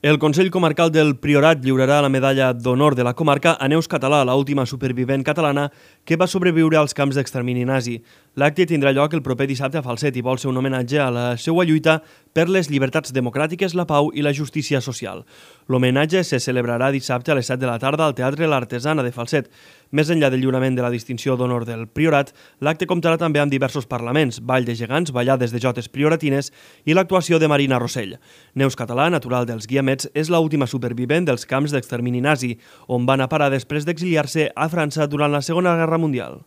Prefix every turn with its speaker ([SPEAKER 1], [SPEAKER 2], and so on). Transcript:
[SPEAKER 1] El Consell Comarcal del Priorat lliurarà la medalla d'honor de la comarca a Neus Català, l'última supervivent catalana que va sobreviure als camps d'extermini nazi. L'acte tindrà lloc el proper dissabte a Falset i vol ser un homenatge a la seva lluita per les llibertats democràtiques, la pau i la justícia social. L'homenatge se celebrarà dissabte a les 7 de la tarda al Teatre L'Artesana de Falset. Més enllà del lliurament de la distinció d'honor del Priorat, l'acte comptarà també amb diversos parlaments, ball de gegants, ballades de jotes prioratines i l'actuació de Marina Rossell. Neus Català, natural dels Guiamets, és l'última supervivent dels camps d'extermini nazi, on va anar a parar després d'exiliar-se a França durant la Segona Guerra Mundial.